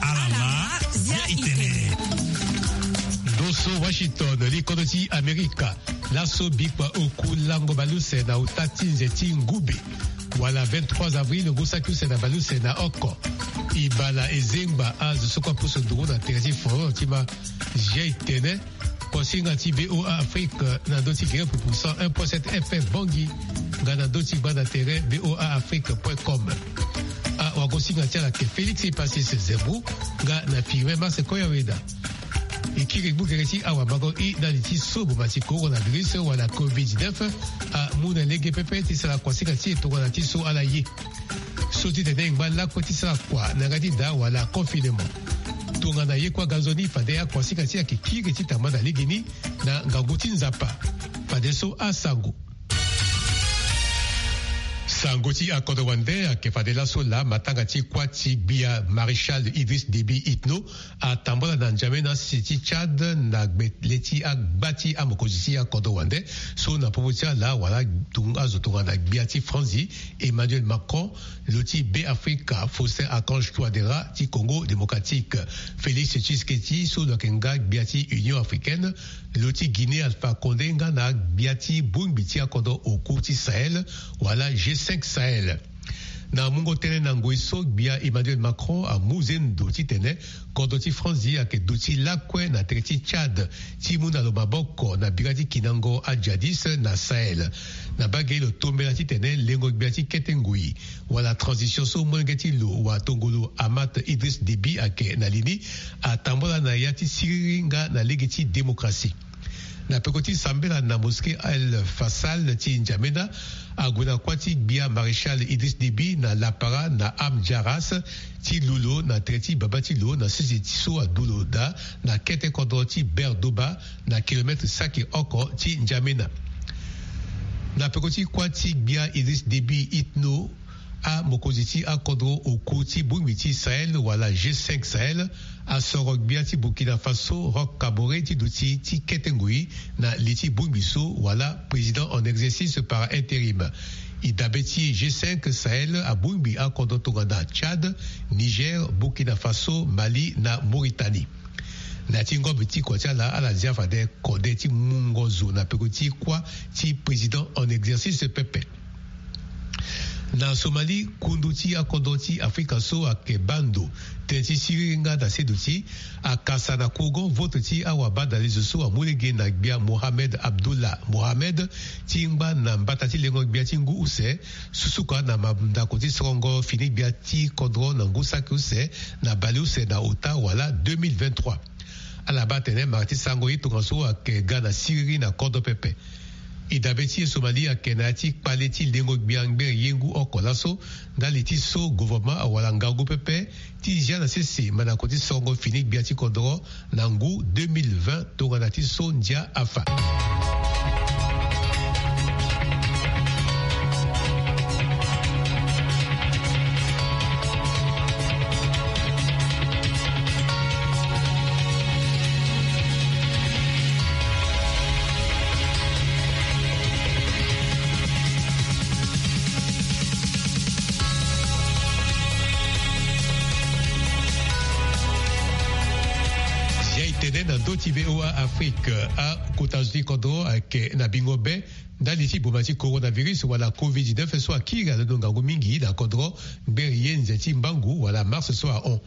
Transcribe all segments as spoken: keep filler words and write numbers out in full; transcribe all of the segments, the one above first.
Alama, zia itene. Ndo so Washington, li kodro ti Amerika, laso bikua oku lango baleuse na ota ti nze ti ngube, wala vingt-trois avril, ngu saki use na baleuse na oko. E bala e zengba azo so kue apusu nduru na tere ti foro ti ma zia itene. Kosinga ti B O A Afrique na ndö ti gere pupu cent un point sept F M Bangui, nga na ndö ti gbanda tere B O A Afrique point com. Awagosinga ti ala ayeke Félix Epasis Zembu, nga na Firmin Marse Koyaweda. E kiri gbu gere ti awamango i ndali ti so boma ti coronavirus wala covid dix-neuf amu na lege pepe ti sara kuasinga ti e tongana ti so ala ye. So ti tene e ngba lakue ti sara kua na yanga ti da wala confinement. Tongana ye kue aga nzoni fade akuasinga ti e ayeke kiri ti tamba na legeni na ngangu ti Nzapa. Fadeso asango. Sango ti akodro wande ayeke fade laso laa matanga ti kuâ ti gbia Maréchal Idriss Déby Itno atambula na N'Djamena, si ti Tchad, na gbe le ti agba ti amokonzi ti akodro wande so na popo ti ala wala tung-, azo tongana gbia ti Franzi Emmanuel Macron, lo ti Beafrika Faustin Archange Touadéra, ti Congo Démocratique Félix Tshisekedi so lo yeke nga gbia ti Union Africaine, lo ti Guinée Alpha Condé, nga na gbia ti bongbi ti akodro oku ti Sahel wala G cinq Sahel. Na mungo tënë na ngoi so, gbia Emmanuel Macron amu zendo titene kodro ti Franzi ayeke duti lakue na tere ti Tchad ti mu na lo maboko na bira ti kindango ajihadiste na Sahel. Na bage lo tombela titene lengo gbia ti kete ngoi wala transition so molenge ti lo watongolo Ahmad Idriss Déby ayeke na li ni atambula na ya ti siriri nga na lege ti démocratie. Na peko ti sambela na mosquée El Faisal ti N'Djamena, ague na kuâ ti gbia Maréchal Idriss Déby na lapara na Amdjaras ti lu lo na tere ti baba ti lo na sese ti so adu lo daa na kete kodro ti Berdoba, na kilomètre saki oko ti N'Djamena. Na peko ti kuâ ti gbia Idriss Déby Itno, amokonzi ti akodro oku ti bongbi ti Sahel wala G cinq Sahel asoro gbia ti Burkina Faso Roch Kaboré ti duti ti kete ngoi na li ti bongbi so wala président en exercice par intérim. E dabe ti G cinq Sahel abongbi akodro tongana Tchad, Niger, Burkina Faso, Mali na Mauritanie. Na ya ti ngombe ti kua ti ala, ala zia fade kode ti mungo zo na peko ti kuâ ti président en exercice pepe. Na Somalie, kundu ti akodro ti Afrika so ayeke baa ndo tënë ti siriri nga na seduti akasa na kourgon vote ti awabadalezo so amu lege na gbia Mohamed Abdullah Mohamed ti ngba na mbata ti lengo gbia ti ngu use, susuka na mandako ti sorongo fini gbia ti kodro na ngu saki use na baleuse na ota wala deux mille vingt-trois. Ala baa atene mara ti sango ye tongaso ayeke ga na siriri na kodro pepe. E dabe ti e Somalie ayeke na ya ti kpale ti lengo gbia ngbere ye ngu oko laso ndali ti so gouvernement awara ngangu pepe ti zia na sese mandako ti sorongo fini gbia ti kodro na ngu deux mille vingt tongana ti so ndia afa. Zia e tene na ndö ti V O A Afrique, akota zo ti kodro ayeke na bingo be ndali ti boma ti coronavirus wala covid dix-neuf so akiri alondo ngangu mingi na kodro ngbere ye nze ti mbangu wala mars so ahon.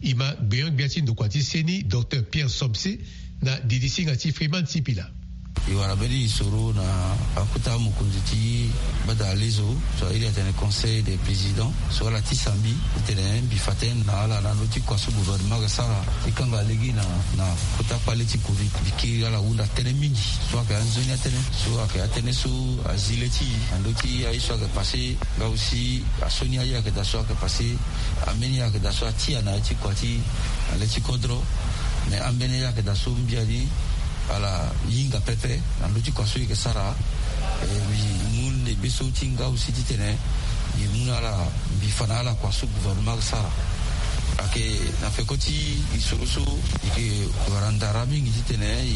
E ma gbenyo-gbia ti ndokua ti seni, Docteur Pierre Somse, na didi singa ti Freeman Sipila. E wara mbeni lisoro na akota mokonzi ti gbata lezo so airi atene Conseil des Présidents so ala tisa mbi titene mbi fa tënë na ala na ndö ti kua so gouvernement ayeke sara ti kanga lege na, na kota kpale ti covid. Mbi kiri ala hunda tënë mingi so ayeke anzoni atënë, so ayeke atënë so azi le ti e na ndö ti aye so ayeke passé, nga aussi asioni aye ayeke daa so ayeke passé, ambeni ayeke daa so atia na ya ti kua ti na le ti kodro. Mais ambeni aye ayeke daa so mbi ani ala hinga pepe na ndö ti kua so e yeke sara. Eh, mbi mu lebe so ti nga aussi titene mbi mu na ala, mbi fa na ala kua so gouvernement ayeke sara. Ayeke na peko ti lisoro so e yeke wara ndara mingi titene e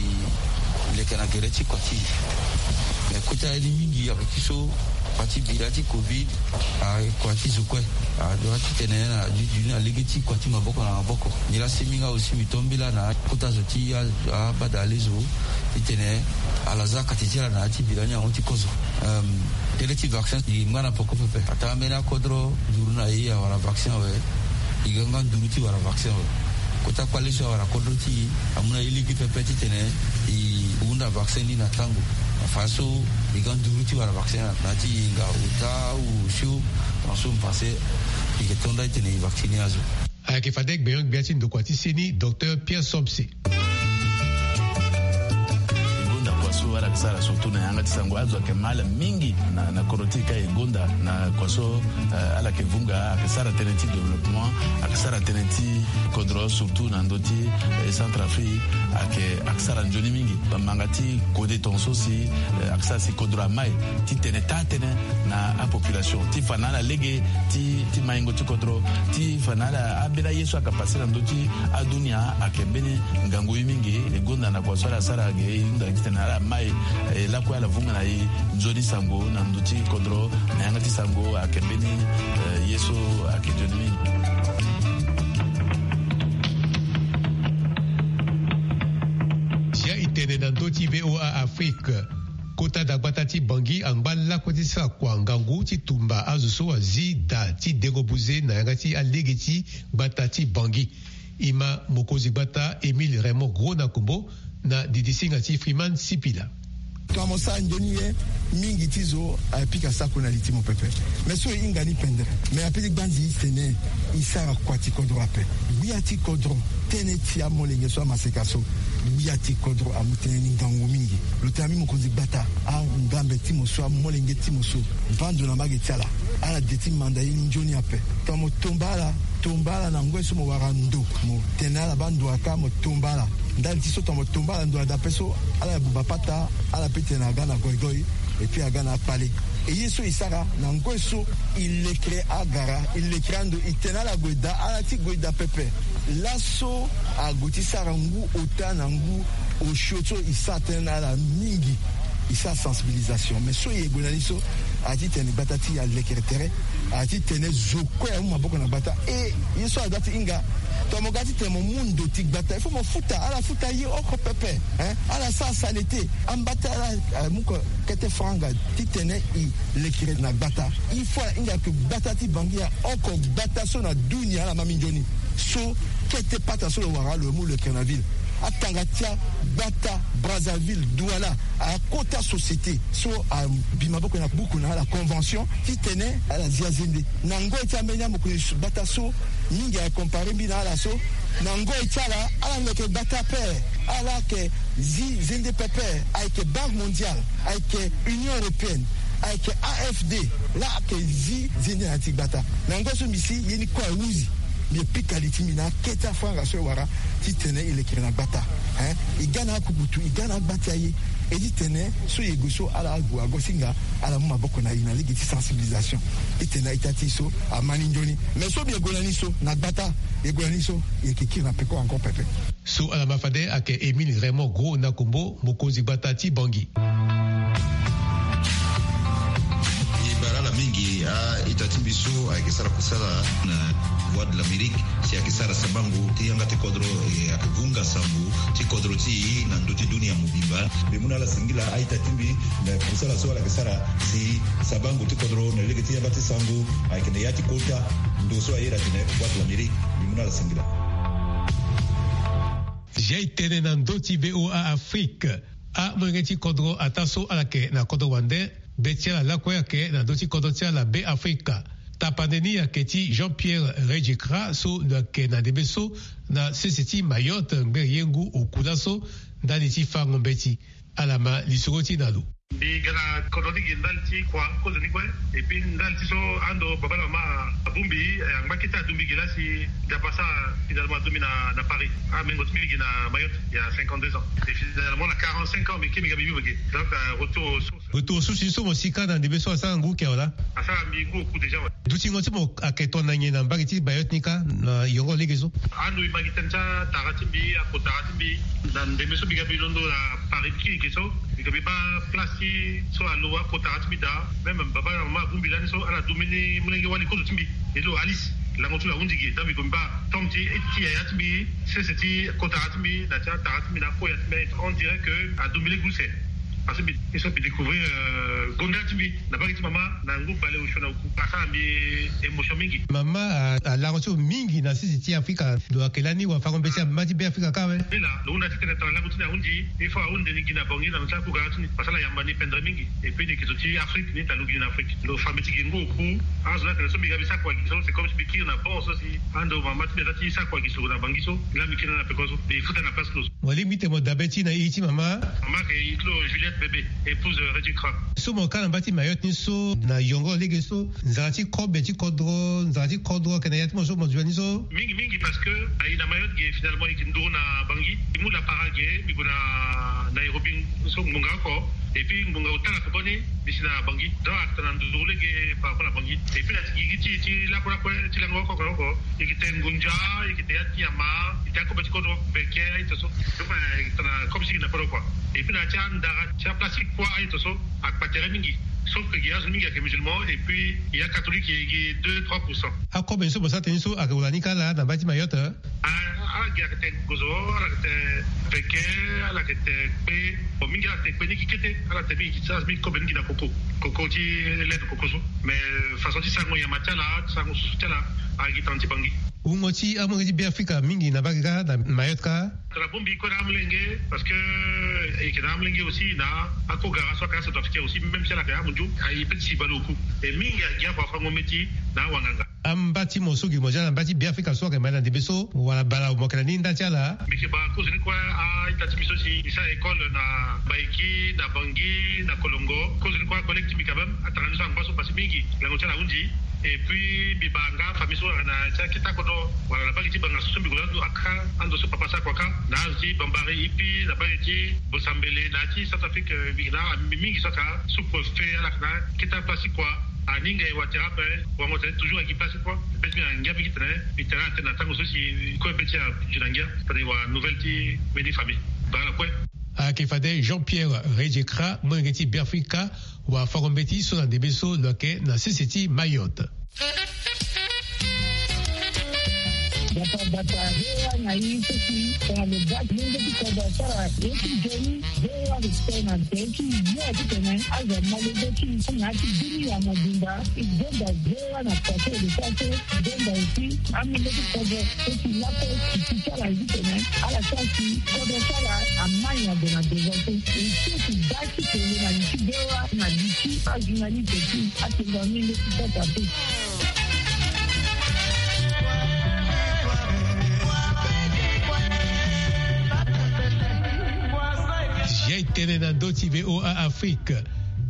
leke na gere ti kua ti e. Mais kota ye ni mingi ayeke ti so, kua ti bira ti covid, akua ti zo kue. Adua titene na dunia lege ti kua ti maboko na maboko. Nilaa si mingi aussi mbi to mbela na kota zo ti abadale zo, titene ala za kati ti ala na ya ti bira ni ahon ti kozo. Tënë ti vaccin e ngba na poko pepe. Ataa mbeni akodro nduru na e awara vaccin awe. E ga nga nduru ti wara vaccin awe. Kota kpale so awara kodro ti e amu na e lege pepe titene e hunda vaccin ni na tango. Afa so e ga nduru ti wara vaccin na ti e nga ota ou osio. Tongaso mbi pense e yeke to nda titene e vacciner azo. Ayeke fade gbenyo-gbia ti ndokua ti seni docteur Pierre Somse. E gonda kua so ala yeke sara surtout na yanga ti sango, azo ayeke mal mingi na, na kodro ti e ka e gonda na kua so, eh, ala yeke vunga, ayeke sara tënë ti développement, ayeke sara tënë ti kodro surtout na ndö ti, eh, Centrafrique, ayeke, ayeke sara nzoni mingi. Bamanga ti kode tongaso si, eh, ayeke sara si kodro amai titene taa tënë na apopulation ti fa na ala lege ti, ti maingo ti kodro, ti fa na ala ambeni aye so ayeke pase na ndö ti adunia ayeke mbeni ngangu ye mingi. E gonda na kua so ala sara ge e hunda titene ala mai, eh, lakue ala vunga na e nzoni sango na ndö ti kodro na yanga ti sango ayeke mbeni, eh, ye so ayeke nzoni mingi. Zia e tene na ndö ti V O A Afrique. Kota dagbata ti Bangui angba lakue ti sara kua ngangu ti tumba azo so azi daa ti dengo buze na yanga ti alege ti gbata ti Bangui. E ma mokonzi gbata Émile Raymond Gros Nakombo na didisinga ti Freeman Sipila. Tongana mo sara nzoni ye, mingi ti zo apika sako na li ti mo pepe. Me so e hinga ni pendere. Me ape ti gbanzi e tene e sara kua ti kodro ape. Gbia ti kodro, tënë ti amolenge so amaseka so. Gbia ti kodro amu tënë ni ngangu mingi. Lo tene ambi mokonzi gbata, angambe ti mo so, amolenge ti mo so, vando na mbage ti ala. Ala de ti manda ye ni nzoni ape. Tongana mo tomba ala, tomba ala na ngoi so mo wara ndo. Mo tene ala baa ndo aka, mo tomba ala. Ndali ti so tongana mo tomba ala ndo adape so, ala buba pata, ala pe tene aga na goigoi, et puis aga na akpale. E ye so e sara na ngoi so e lekere agara, e lekere ando, e tene ala gue daa, ala ti gue daa pepe. Laso ague ti sara ngu ota na ngu osio so e sara tënë na ala mingi. E sara sensibilisation. Mais so e gue na ni so, a ti tene gbata ti e alekere tere. A ti tene zo kue amu maboko na gbata. E ye so adua ti hinga, tongana mo ga ti tene mo mu ndo ti gbata, il faut mo futa, ala futa ye oko pepe, hein? Ala sara salete. Amba ti ala amu ko kete franga titene e lekere na gbata. Il faut ala hinga ke gbata ti Bangui aoko gbata so na dunia ala ma minzoni. So kete pata so lo wara lo mu lekere na ville. Atanga ti agbata Brazzaville, Douala, akota société so abi maboko na buku na ala convention titene ala zi azende. Na ngoi ti ambeni amokonzi gbata so mingi a compare mbi na ala so, na ngoi ti ala, ala leke gbata ape, ala yeke zi zende pepe. Ayeke Banque Mondiale, ayeke Union Européenne, ayeke A F D, laa ayeke zi zende na ya ti gbata. Na ngoi so mbi si ye ni kue ahuzi, mbi pika li ti mbi na akete afranga so e wara titene e lekere na gbata. Hein? E ga na akukutu, e ga na agba ti aye. E titene so e gue so ala ague agosinga, ala mu maboko na e na lege ti sensibilisation. Titene a-ita ti e so ama ni nzoni. Mais so mbi gue na ni so na gbata, e gue na ni so, e yeke kiri na peko encore pepe. So ala ma fade ayeke Émile Raymond Gros Nakombo, mokonzi gbata ti Bangui. E bara ala mingi a-ita ti mbi so ayeke sara kusala na Voix de l'Amérique, si ayeke sara sabango ti yanga ti kodro, e ayeke vunga sango ti kodro ti e na ndö ti dunia mobimba. Mbi mu na ala singila a-ita ti mbi na kusala so ala yeke sara si sabango ti kodro na lege ti yanga ti sango ayeke na ya ti kota ndo so a iri atene Voix de l'Amérique. Mbi mu na ala singila. Zia e tene na ndö ti V O A Afrique. Amolenge ti kodro ataa so ala yeke na kodro wande, be ti ala lakue ayeke na ndö ti kodro ti ala Be Afrika. Tapande ni ayeke ti Jean-Pierre Redjekra so lo yeke na ndembe so na sese ti Mayotte ngbere ye ngu oku laso ndani ti fango mbeti. Ala ma lisoro ti na lo. Mbi ga na kodro ni gi ndali ti kua kozo ni kue. Et puis ndali ti so ando baba na mama abongbi, eh, angba kete adongbi gi laa si Nzapa asara finalement adongbi na, na Paris. Amengo ti mbi gi na Mayotte il y a cinquante-deux ans. Et finalement na quarante-cinq ans mbi ke mbi ga mbi bibo gi. Donc, euh, retour aux sources. Retour aux sources ni so mo si ka na ndembe so asara ngu kia wala? Asara mbi ngu oku déjà, ouais. Dutingo ti mo ayeke tongana nyen na mbage ti Mayotte ni ka na yongo lege so? Ando e ma gi tënë ti atara ti mbi, akotara ti mbi, na ndembe so mbi ga mbi londo na Paris ti kiri ge so, Mbi ga mbi baa place ti so alo akotara ti mbi daa. Même baba na mama abongbi lani so ala du mbeni molenge wali kozo ti mbi. E lo Alice, lango ti lo ahunzi ge. Donc mbi ga mbi baa tombe ti ti yaya ti mbi, sese ti kotara ti mbi na ti atara ti mbi na akoya ti mbi, on dirait que adu mbi lege use. Parce que mbi so mbi découvrir gonda ti mbi na mbage ti mama na ngu bale osio na oku. Asara mbi émotion mingi. Mama, alango ti lo mingi na sese ti Afrika. Lo yeke lani wafango mbeti na mama ti Beafrika kâ awe. Ni laa lo hunda ti tene tongana lango ti ni ahunzi. Il faut ahunzi ni gi na Bangui na lo ti akugara ti ni. Parce que ala yamba ni pendre mingi. Et puis ni yeke zo ti Afrique, ni ta lo gi na Afrique. Lo fa mbeti gi ngu oku. Azo ni atene so mbi ga mbi sakua gi so, c'est comme si mbi kiri na port so si ando mama ti mbi aza ti sakua gi soro na Bangui so. Laa mbi kiri na peko so. Mbi futa na place close. Mo lingbi ti tene mo dabe ti na iri ti mama. Mama ayeke iri ti lo Juliette Bébé, épouse Redjikra. So mo ka na mba ti Mayotte ni so na yongo lege so, nzara ti kobe ti kodro, nzara ti kodro ayeke na ya ti mo so mo zo ni so? Mingi mingi, parce que aye na Mayotte ge, finalement e yeke nduru na Bangui. E mu lapara ge, mbi gue na Nairobi so ngbonga oko. Et puis ngbonga ota na koboni mbi si na Bangui. Donc ayeke tongana nduru lege par rapport na Bangui. Et puis na ti gigi ti ti lakue lakue ti lango oko oko oko. E yeke tene ngunza, e yeke tene ya ti nyama, e yeke tene akobe ti kodro, beke, aye to so. Donc e yeke tongana comme si e yeke na kodro quoi. Et puis na ya ti andara ti aplace ti kua, aye to so akpa tere mingi. Sauf que gi azo mingi ayeke musulman, et puis e ya catholique e gi deux trois pour cent. Akobe ni so mo sara tënë ni so ayeke wala ni kâ laa na mba ti Mayotte? Ah, ala gi ayeke tene gozo, ala yeke tene veke, ala yeke tene kpe. Bon, mingi ala tene kpe ni gi kete, ala tene mingi gi ti ala mingi kobe ni gi na koko. Koko ti lait de koko so. Mais façon ti sarango nyama ti ala, ti sarango susu ti ala, ayeke gi tana ti Bangui. Wungo ti amolenge ti Beafrika mingi na mbage kâ na Mayotte kâ? Tongana bongbi kue na amolenge, parce que e yeke na amolenge aussi na akogara so ayeke acentrafricain aussi, même si ala yeke amunzu, aye peut ti si bale oku. E mingi agi afa afango mbeti na awanganga. Amba ti mo so gi mo zia na mba ti Beafrika so ayeke ma na ndembe so wala bala mo yeke na ni nda ti ala? Mbi yeke baa kozo ni kue a-ita ti mbi so si e sara école na Baïki, na Bangui, na Kolongo. Kozo ni kue acollègue ti mbi quand même atanga ni so angba so pasi mingi, lango ti ala ahunzi. Et puis mbi baa nga afamille so ayeke na ti akete akodro wala na mbage ti banga so, so mbi gue laa ando aka ando so papa asara kua kâ na azo ti Bambari, Ipi, na mbage ti Bosambele, na ya ti Centrafrique, eh, mbi yeke na amimi mingi so ayeke sous-préfet, ala yeke na akete aplace ti kua. Aninga e watira ape, wango tene toujours ayeke gi place ti kua. Be ti mbi na ngia mingi tene mbi tene atene na tango so si kue be ti azo na ngia tene e wara nouvelle ti mbeni famille. Baa ala kue. Ayeke fade Jean-Pierre Redjekra, molenge ti Beafrika, wafango mbeti so na ndembe so lo yeke na sese ti Mayotte. Bata bata, V O A na e so si tongana lo ga lenge ti kodro asara ye ti nzoni, V O A respect na nze ti yo titene azo amolenge ti na ya ti dunia mobimba. E gonda V O A na pase e le pase, e gonda aussi amolenge ti kodro so si lakue e ti ti ala titene ala sara si kodro ti ala amai na gue na devant so. E so si ga ti tene na li ti V O A na li ti ajournaliste ti atengo amolenge ti kodro ape. Zia e tene na ndö ti V O A Afrique.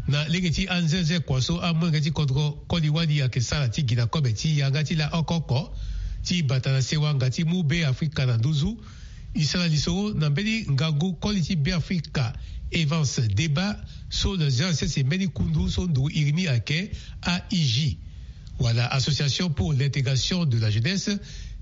Na lege ti anzenze kua so amolenge ti kodro koli wali ayeke sara ti gi na kobe ti yanga ti la oko oko ti bata na sewa nga ti mu Beafrika na nduzu. E sara lisoro na mbeni ngangu koli ti Beafrika Evans Deba so lo zia na sese mbeni kundu so nduru iri ni ayeke A I J, wala Association pour l'intégration de la jeunesse,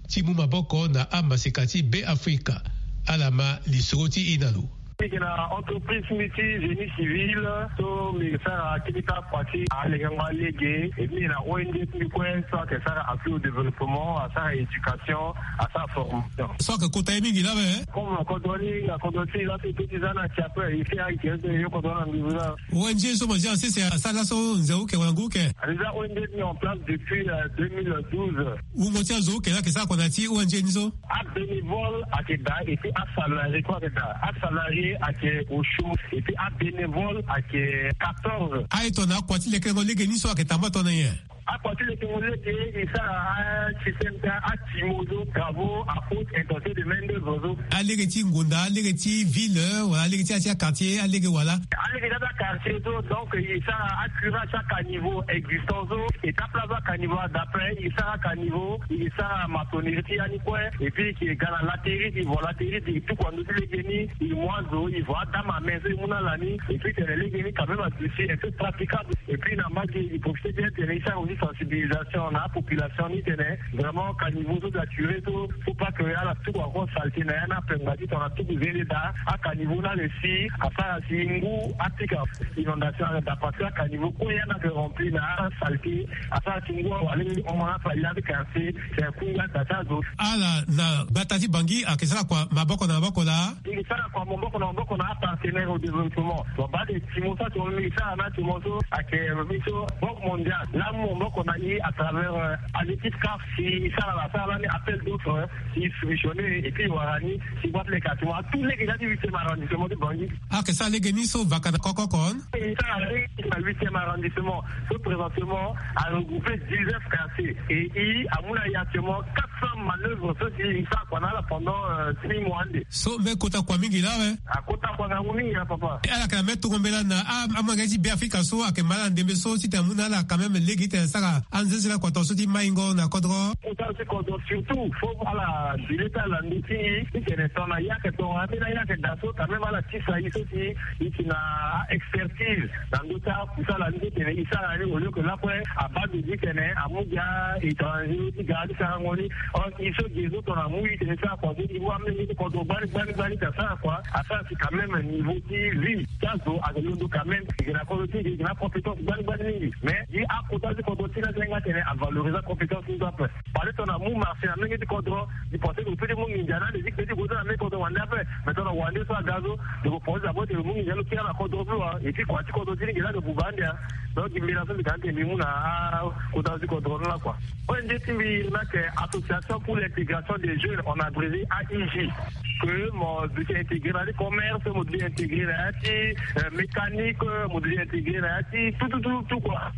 ti mu maboko na amaseka ti Beafrika. Ala ma lisoro ti e na lo. Mbi yeke na entreprise ti mbi ti génie civil, so mbi yeke sara akete kâ kua ti alengango alege. E mbi yeke na O N G ti mbi kue so ayeke sara appui au développement, asara éducation, asara formation. So ayeke kota ye mingi laa awe, hein? Comme na kodro ni, na kodro ti e laa so e peut ti za na ti ape, e si ayeke so e yo kodro na nduzu laa. O N G so mo zia na sese asara laso nze uke wala ngu uke? A déjà O N G mis en place depuis, euh, deux mille douze. Wungo ti azo uke laa ayeke sara kua na ya ti O N G ni so? Abénévole ayeke daa, et puis asalarié kue ayeke daa. Asalarié ayeke osio, et puis abénévole ayeke quatorze. Aye tongana akua ti lekerengo lege ni so ayeke tambula tongana nyen? Akua ti lekerengo lege e sara asystème ti atimo so, travaux à haute intensité de main d'œuvre so. Alege ti ngonda, alege ti ville, wala alege ti ya ti aquartier, alege wala? Alege ti aquartier so, donc e sara acurage ti acaniveau existant so, e tape place ti acaniveau, d'après e sara caniveau, e sara maçonnerie ti ya ni kue, et puis e yeke ga na laterite, e vo laterite, e tuku na ndö ti lege ni, e mu azo, e vo adame à main so e mu na ala ni, et puis tene lege ni quand même aduti un peu praticable, et puis na mbage e profiter bien tene e sara aussi Sensibilisation na apopulation ni tene vraiment caniveau so saturé so, faut pas que ala tuku encore saleté na ya na apengba ti tongana tuku zende daa. Acaniveau ni ala si asara si ngu atika inondation ala daa parce que acaniveau kue ya ni ayeke rempli na asaleté. Asara ti ngu awali hon na afali ya ti quartier. C'est kunga tata zo. Ala na gbata ti Bangui ayeke sara kua maboko na maboko laa. E sara kua maboko na maboko na apartenaire au développement. Bon, baa de ti mo so ati mo mingi sara na ti mo so ayeke biso Banque Mondiale. Laa mu maboko na e à travers, euh, à l'équipe caf si e sara la sara lani appel d'offre, euh, si e soumissionner et puis e wara ni si boîte leka ti mo atout lege na ya ti huitième arrondissement ti Bangui. Ayeke sara lege ni so vaka na koko oko. E sara lege na huitième arrondissement so présentement a regrouper dix-neuf quartiers et e amu na e actuellement quatre cents manœuvres so si e sara kua na ala pendant, euh, six mois ande. So mbe kota kua mingi laa awe. Akota kua ngangu mingi laa papa. E ala yeke na mbe tongo mbela na a, amolenge ti Beafrika so ayeke ma ala na ndembe so titene amu na ala quand même lege titene asara anzenzela kua tongaso ti maingo na kodro. Kota ti kodro surtout faut ala dile ti ala ndö ti e titene tongana e ayeke tongana ambeni a e ayeke daa so quand même ala tisa e so si e si na expertise na ndö ti akusala ni titene e sara ni au lieu que lakue abaa ndo ti tene amu gi a-étranger ti ga ti sarango ni. Or e so gi e so tongana amu e tene e sara kua so niveau amolenge ti kodro gbani gbani gbani ti asara kua asara si quand même niveau ti vie ti azo ayeke londo quand même. E gi na kodro ti e gi na compétence gbani gbani mingi mais gi akota ti kodro ti ni asenga tene avalorise acompétence ni so ape. Parce que tongana mu marché na menge ti kodro, di pense que lo peut ti mu nginza na ande ti kpe ti gue so na menge kodro wande ape. Mais tongana wande so aga so, lo ko pense d'abord ti lo mu nginza lo kiri na kodro so wa. Et puis kua ti kodro ti ni nginza lo buba ande a. Donc mbi na so mbi ga ande mbi mu na akota ti kodro ni la kua. O N G ti mbi ni ayeke Association pour l'intégration des jeunes, en abrégé A I J. Que mo doit intégrer na ti commerce, mo doit intégrer na ti, euh, mécanique, mo doit intégrer na ti tout, tout, tout, tout quoi.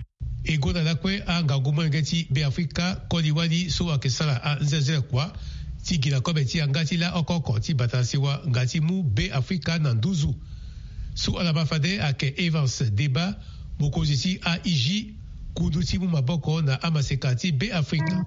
E gonda lakue angangu molenge ti Beafrika koli wali so ayeke sara anzenze kua ti gi na kobe ti yanga ti la oko oko ti bata na sewa nga ti mu Beafrika na nduzu. So ala ma fade ayeke Evans Deba, mokonzi ti A I J, kundu ti mu maboko na amaseka ti Beafrika.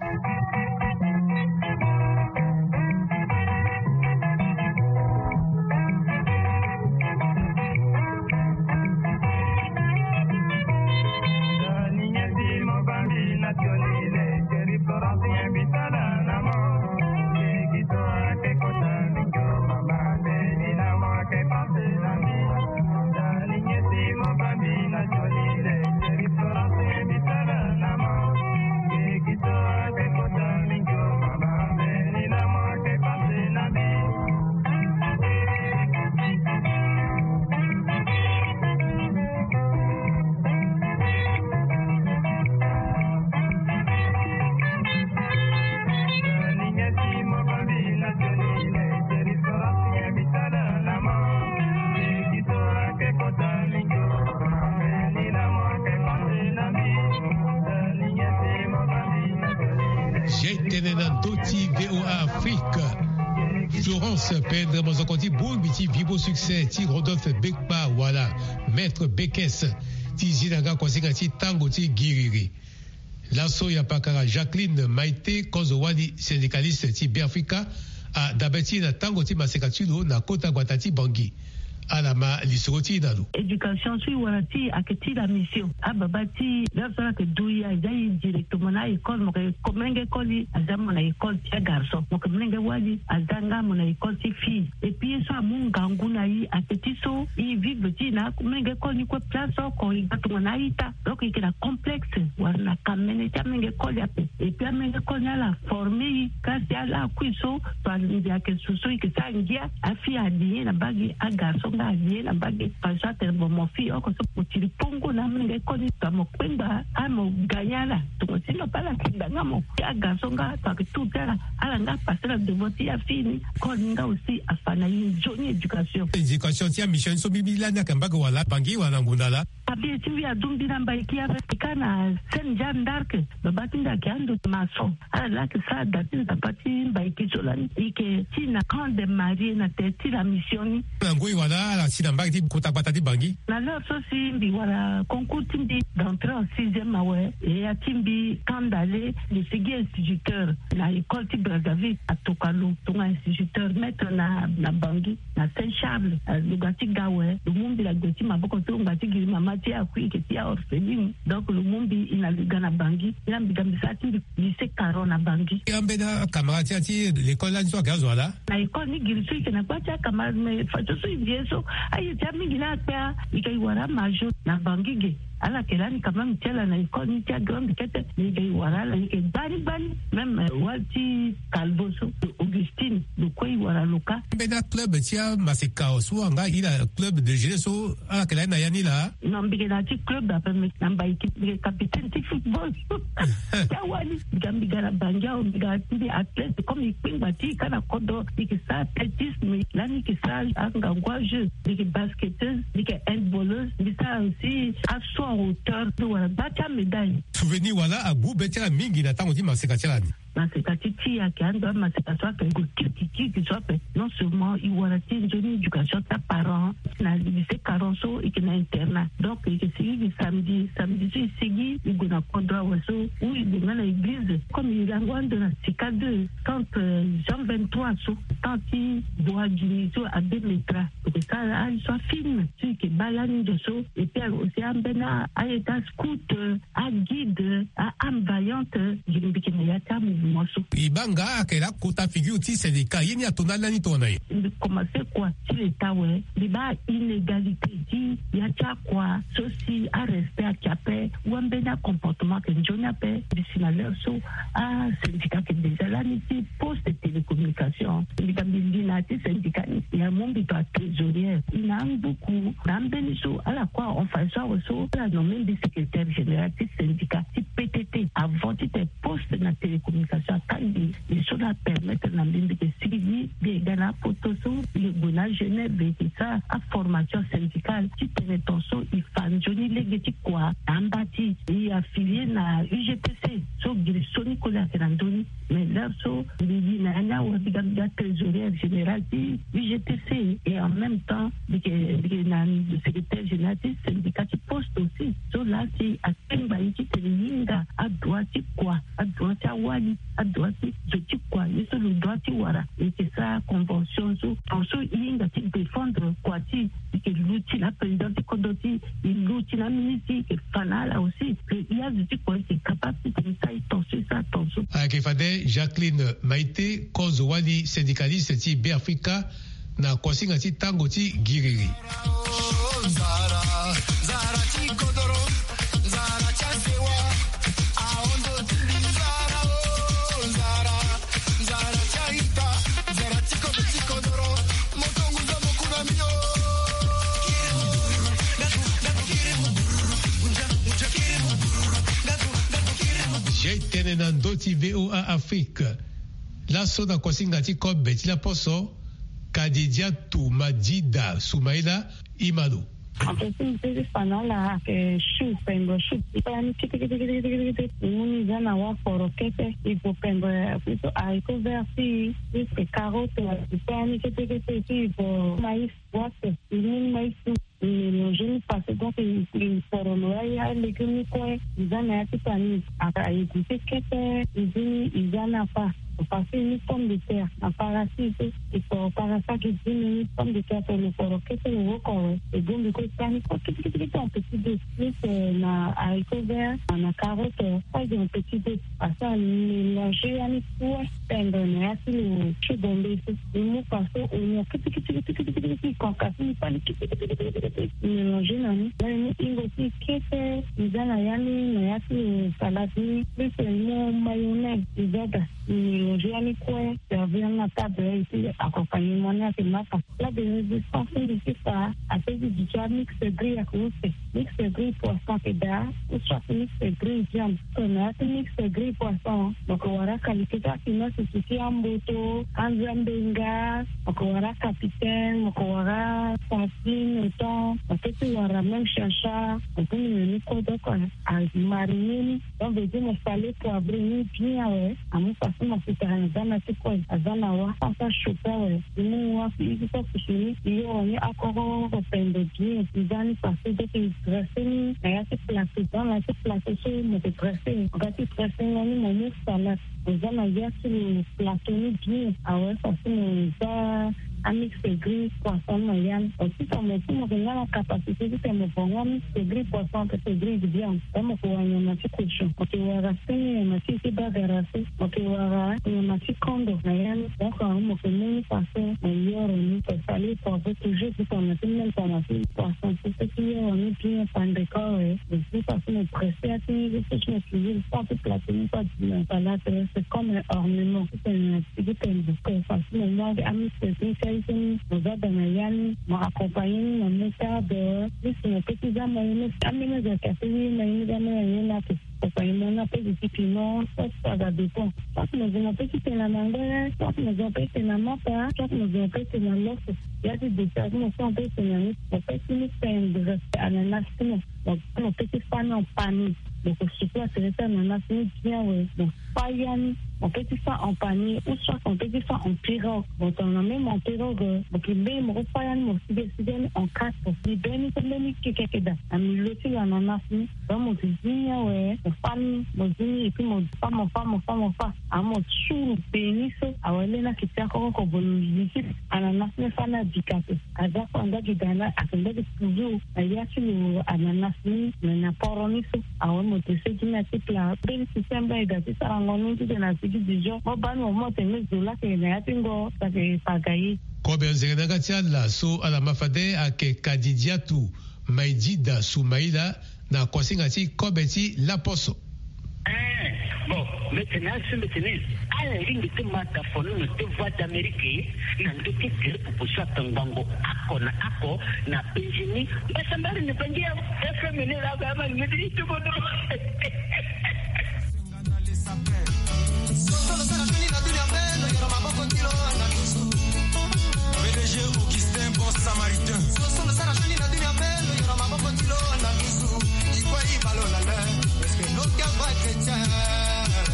Zia e tene na ndö ti V O A Afrique. Florence Pendre, mozoko ti bongbi ti Vivo Succès ti Rodolphe Bekpa wala Maître Bekes, ti zi na nga kuasinga ti tango ti giriri. Laso ya pakara Jacqueline Maïté, kozo wali syndicaliste ti Beafrika, adabe ti e na tango ti maseka ti lo na kota gbata ti Bangui. Ala ma lisoro ti e na lo. Éducation so e wara ti e ayeke ti la mission. Ababa ti e, la so ala yeke du e, aza e directement na a-école. Mo yeke ko-, molenge koli aza mo na école ti agarçon. Mo yeke molenge wali aza nga mo na école ti fille. Et puis ye so amu ngangu na e ayeke ti so e vivre ti e na molenge koli ni kue place oko e ga tongana a-ita. Donc e yeke na complexe wala na kamene ti amolenge koli ape. Et puis amolenge koli ni ala forme e ka si ala akui so, to alingbi ayeke su so e yeke sara ngia. Afille ali ye na mbage, agarçon nga ali ye na mbage. Parce que atene bon, mo fille oko so mo tiri pongo na amolenge koli ni, to mo kpengba, a mo gagner ala. Tongo ti lo pe ala kpengba nga mo. Agarçon nga to ayeke tour ti ala, ala nga passer na devant ti afille ni. Koli ni nga aussi afa na e nzoni éducation. Éducation ti amission so mbi, mbi lani ayeke mbage wala Bangui wala na ngonda laa? Abi ti mbi adungbi na Mbaiki ape, e ka na Sainte Jeanne d'Arc. Baba ti mbi ayeke ando maçon. Ala laa ayeke sara da ti nzapa ti Mbaiki so lani. E yeke ti na camp des mariés na tere ti la mission ni. Na ngoi wala? Ala si na mbage ti kota gbata ti Bangui. Na l'heure so si mbi wara concours ti mbi d'entrée en sixième awe, e ya ti mbi kanda le mbi sigi instituteur na école ti Brazzaville, atoka lo tonga instituteur maître na na Bangui, na Saint Charles. Lo ga ti ga awe, lo mu mbi na gbe ti maboko ti lo ngba ti giri mama ti akui eke ti aorpheline. Donc lo mu mbi, e na lo ga na Bangui, e na mbi ga mbi sara ti mbi lycée Caron na Bangui. Ambeni acamarade ti ya ti l'école lani so ayeke azo ala? Na école ni giri so e yeke na gba ti acamarade, mais fadeso so e vie so, aye ti amingi ni akpe. A e ga e wara amajor na Bangui ge. Ala yeke lani quand même ti ala na école ni ti agrande kete, mais e ga e wara ala, e yeke gbani gbani. Même wali ti Calvo so, Augustine, lo kue e wara lo kâ. Ambeni aclub ti amaseka so anga ila club de jeunesse so ala yeke lani na ya ni laa? Non, mbi yeke na ya ti club ape, mais na Mbaïki mbi yeke capitaine ti football. Ti awali, mbi ga mbi ga na Bangui awe, mbi ga ti mbi athlète, comme e kpengba ti e kâ na kodro, e yeke sara athlétisme, lani e yeke sara angangu a jeu, mbi yeke basketteuse, mbi yeke handballeuse, mbi sara aussi assaut en hauteur, mbi wara gba ti amédaille. Souvenir wala agu be ti ala mingi na tango ti maseka ti ala ni? Maseka ti ti e ayeke ando amaseka so ayeke gue kirikiri so ape. Non seulement e wara ti e nzoni éducation ti aparent, na lycée Caron so e yeke na internat, donc e yeke sigi gi samedi, samedi so e sigi e gue na kodro awe so, ou e gue nga na église, comme e lango ando na sika deux, centre Jean vingt-trois so, temps ti Boagini so, abbé Metra. E yeke sara azo afilm so e yeke baa lani ndo so. Et puis aussi ambeni aye ti ascout, aguide, a âme vaillante, mbi yeke na ya ti amouvement so. E baa nga ayeke laa kota figure ti syndicat, ye ni ato ndali lani tongana nyen? Mbi commencé kua ti leta awe, mbi baa inégalité ti ya ti akua so si arespect ayeke ape, ou ambeni acomportement ayeke nzoni ape. Mbi si na l'heure so asyndicat ayeke déjà lani ti poste et télécommunication. Mbi ga mbi li na ya ti syndicat ni, e amu mbi to atrésorière. E na angbuku na ambeni so ala kue ahon fade so awe so ala nommé mbi secrétaire général ti syndicat ti P T T. Avant ti tene poste na télécommunication akangbi, e so la permettre na mbi mbi yeke sigi mbi e ga na apoto so, mbi yeke gue na Genève, mbi yeke sara aformation syndicale ti tene tongaso e fa nzoni lege ti kua na amba ti e. E affilié na U G T C so giri so ni koli ayeke na ndö ni. Mais l'heure so mbi li na ya ni awe, mbi ga mbi ga trésorière générale ti U G T C, et en même temps mbi yeke mbi yeke na secrétaire général ti syndicat ti poste aussi. So laa si akpengba e ti tene e hinga adroit ti kua, adroit ti awali, adroit ti zo ti kua, ye so lo droit ti wara. E yeke sara convention so, tongaso e hinga ti défendre kua ti e. E yeke luti na aprésident ti kodro ti e, e luti na aministre ti e, e yeke fa na ala aussi. Ke e azo ti kua e yeke capable ti tene e sara e tongaso, e sara tongaso. Ayeke fade Jacqueline Maïté, kozo wali syndicaliste ti Beafrika, na kuasinga ti tango ti giriri. Jai tene na ndö ti V O A Afrique. Laso na kuasinga ti kobe ti laposo, Kadidiatou Madida Soumaïla Imano. En fait, si mbi sigi fa na ala ayeke chou, pembe chou. E pa ni kete kete kete kete kete. E mu ni e za na waforo kete. E vo pembe, e so haricot vert ti e, e so carotte, e pa ni kete kete. Si e vo maïs, wape, e mu ni maïs. E mélanger ni parce que donc e, e foro lo aye alégume ni kue, e za na ya ti panier. A, a égoutter kete, e zi ni e za na fa. Parce que ni pomme de terre na para ti e so, e foro para so ayeke zi ni, ni pomme de terre so lo foro kete lo woko awe. E bongbi kue e sara ni kue kete kete kete en petit dés. Plus, euh, na haricot vert, na carotte, euh, kue en petit dés. Parce que a mélanger ya ni kue, pembe na ya ti lo chou bombay so. E mu fa so oignon kete kete kete kete kete kete, e concassé ni, e pa ni kete kete kete kete kete, e mélanger na ni. Là e mu hingo ti e kete, e za na ya ni, na ya ti lo salade ni. Plus, euh, e mu mayonnaise, e za daa. E mélanger ya ni kue, servir ni na table, et puis accompagnement ni ayeke mapa. Plat de résistance ti mbi ti fa, a peut ti duti amix grillé ayeke use. Mix grillé poisson ayeke daa, ou soit mix grillé viande. Tongana ya ti mix grillé poisson, mo yeke wara qualité ti afinance ti amboto, anzambenga, mo yeke wara capitaine, mo yeke wara sardine, thon, mo peut ti wara même chacha, mo peut ni meni kue. Donc, a mariner ni. Donc, veut dire mo salé poivré ni bien awe. Amu façon mo Aza na ti kue, aza na wa, afa choka we. Ni mu wa, i ti so kusuni, i yoro ni akoro pende bien. I za ni pase, donc i dresse ni na ya ti plateau. Dans na ya ti plateau so mo ke dresse, nga ti dresse nga ni mo mu salade. Mo za na ya ti lo plateau ni bien. Awe, façon mo za amix aigri poisson na ya ni. Aussi, ça mo, si mo ke nga na capacité ti tene mo bonga amix aigri poisson, amix aigri viande. Mo ke wara nyama ti cochon. Mo ke wara seni nyama ti, ti bagara so. Mo ke wara nyama ti kondo na ya ni. Donc, mo ke mu ni façon mo yoro ni. Ko sali ko ave toujours ti tongana ti même tongana ti poisson so, ti yoro ni bien pande kore. Et puis façon mo dresse ya ti ni, ti so ti mo cuisine, so ti plateau ni, so ti na salade, c'est comme un ornement. Ti tene na ti gi tene ko façon mo mu amix aigri ti aye so ni, mo za da na ya ni, mo accompagner ni na moutarde. Ni si mo peut ti za mayonnaise, ambeni azo ayeke ape ni mayonnaise, ambeni azo ni ape. Accompagnement ni ape, ti piment, soit ça va dépend. Soit mo zo mo peut ti tene na mangbele, soit mo zo mo peut ti tene na mapa, soit mo zo mo peut ti tene na loso. Ya ti dessert mo so mo peut ti tene na ni, mo peut ti ni tendre ananas ti mo. Mo, mo peut ti fa ni en panier. Mo ke sukola tere ti ananas ni bien we. Mo fa ya ni, mo peut ti fa en panier, ou soit mo peut ti fa en pirogue. Bon, tongana même en pirogue, mo ke mbeni mo ke fa ya ni, mo side side ni en quatre. Ni mbeni so mbeni kekeke daa na milieu ti lo ananas ni. Donc mo ke zi ni awe, mo fa ni, mo zi ni, et puis mo fa, mo fa, mo fa, mo fa. Amu mo suru beni so awe, lê ni ayeke ti akokoko, bo lo zi ti ananas ni fa ni abika ape. Aza kue anda gi daa na, ayeke nda gi toujours na ya ti lo ananas ni, me na poro ni so. Awe, mo te segi ni na ti pla. Mbeni système baa e daa ti sarango ni ti tene na sigi dijon. Mo baa ni mo mu atene me zo laa ayeke na ya ti ngo, so ayeke paga ye. Kobe anzere na yanga ti ala so ala ma fade ayeke Kadidiatu Maidida Soumaila, na kosinga ti kobe ti laposo. Eh, bon, mbi tene asu, mbi tene ala lingbi ti ma da fono na ti Voix d'Amérique na ndö ti tere popo so atongbango oko na oko na penzi ni. Mbasambari ni bangi ya F M ni la ga ma ni ti bodo. Soso lo sara soni na dunia mpe lo yoro maboko ti lo na lusu. P D G Augustin, bon samaritain. Soso lo sara soni na dunia mpe lo yoro maboko ti lo na lusu. Ikue ibalo la le, parce que nos cœurs vont être chrétiens.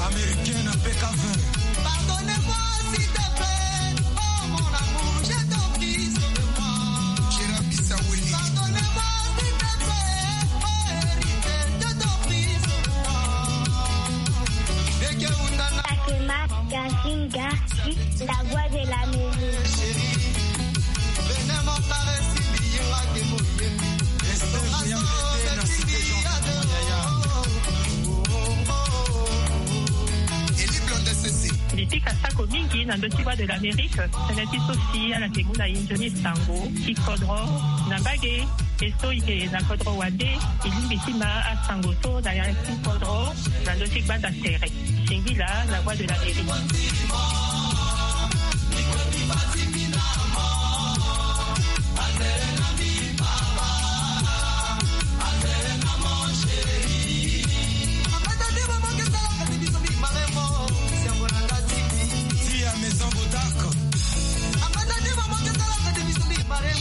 Américain na P K vingt. Pardonnez-moi s'il te plaît, oh mon amour, je t'en prie, sauve-moi. Kira Bissaweli. Pardonnez-moi s'il te plaît, oh héritier, je t'en prie, sauve-moi. Eke undana. Takema, Gazinga, la voix de la musique. Mbi pika sako mingi na ndö ti Voix de l'Amérique, tënë ti so si ala yeke mu na e nzoni sango ti kodro na mbage, e so e yeke na kodro wande, e lingbi ti ma asango so na ya ti kodro na ndö ti gbanda tere. Singila, la voix de l'Amérique.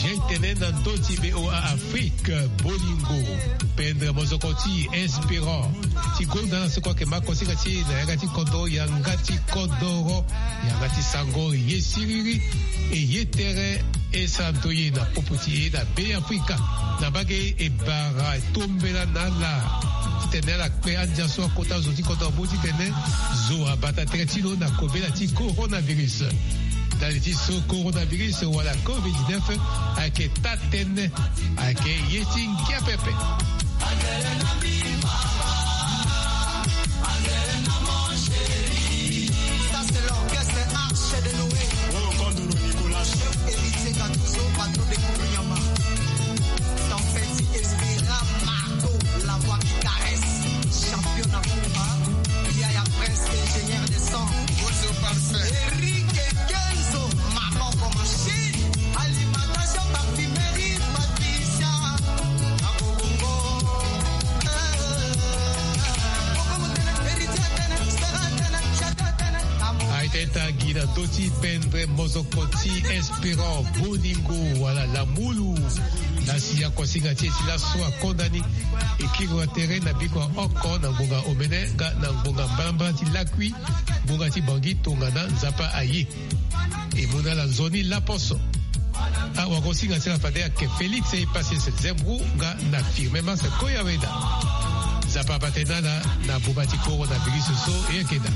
Gentene na ndö ti V O A Afrique, bolingo, pendre mozoko ti espérant ti gonda na seko ayeke ma kosinga ti e na yanga ti kodro, yanga ti kodoro, yanga ti sango, ye siriri, e ye tere, e sara ndö ye na popo ti e na Be Afrika. Na mbage e bara e tombela na ala titene ala kpe andia so akota zo ti kodro, mo titene zo abata tere ti lo na kobela ti coronavirus. Ndali ti so coronavirus wala covid dix-neuf ayeke taa tënë, ayeke ye ti ngia pepe. Ça, c'est l'orchestre Arche de Noé. Oh, Kondoro Nicolas. Chef Héritier Gattuso, patron de Kourounyama. Tempête Espira Marco, la voix qui caresse. Champion na Kumba. Yaya Prince, ingénieur de son. Bozo Parfait. Eric Kenzo, Maroko Machine. Alimentation, parfumerie, Patricia. Abongo. Eh. Toti pendre mozoko ti Espérant Boningo wala Lamulu. Na si akosinga ti e ti laso akonda ni. E kiri wa tere na biko oko na ngbonga omene nga na ngbonga mbalambala ti lakui. Ngbonga ti Bangui tongana Nzapa aye. E mu na ala nzoni laposo. Awakosinga ti ala fade ayeke Félix Epasese Zembru nga na Firmin Masa Koyaweda. Nzapa abate na ala na boma ti coronavirus so e yeke daa.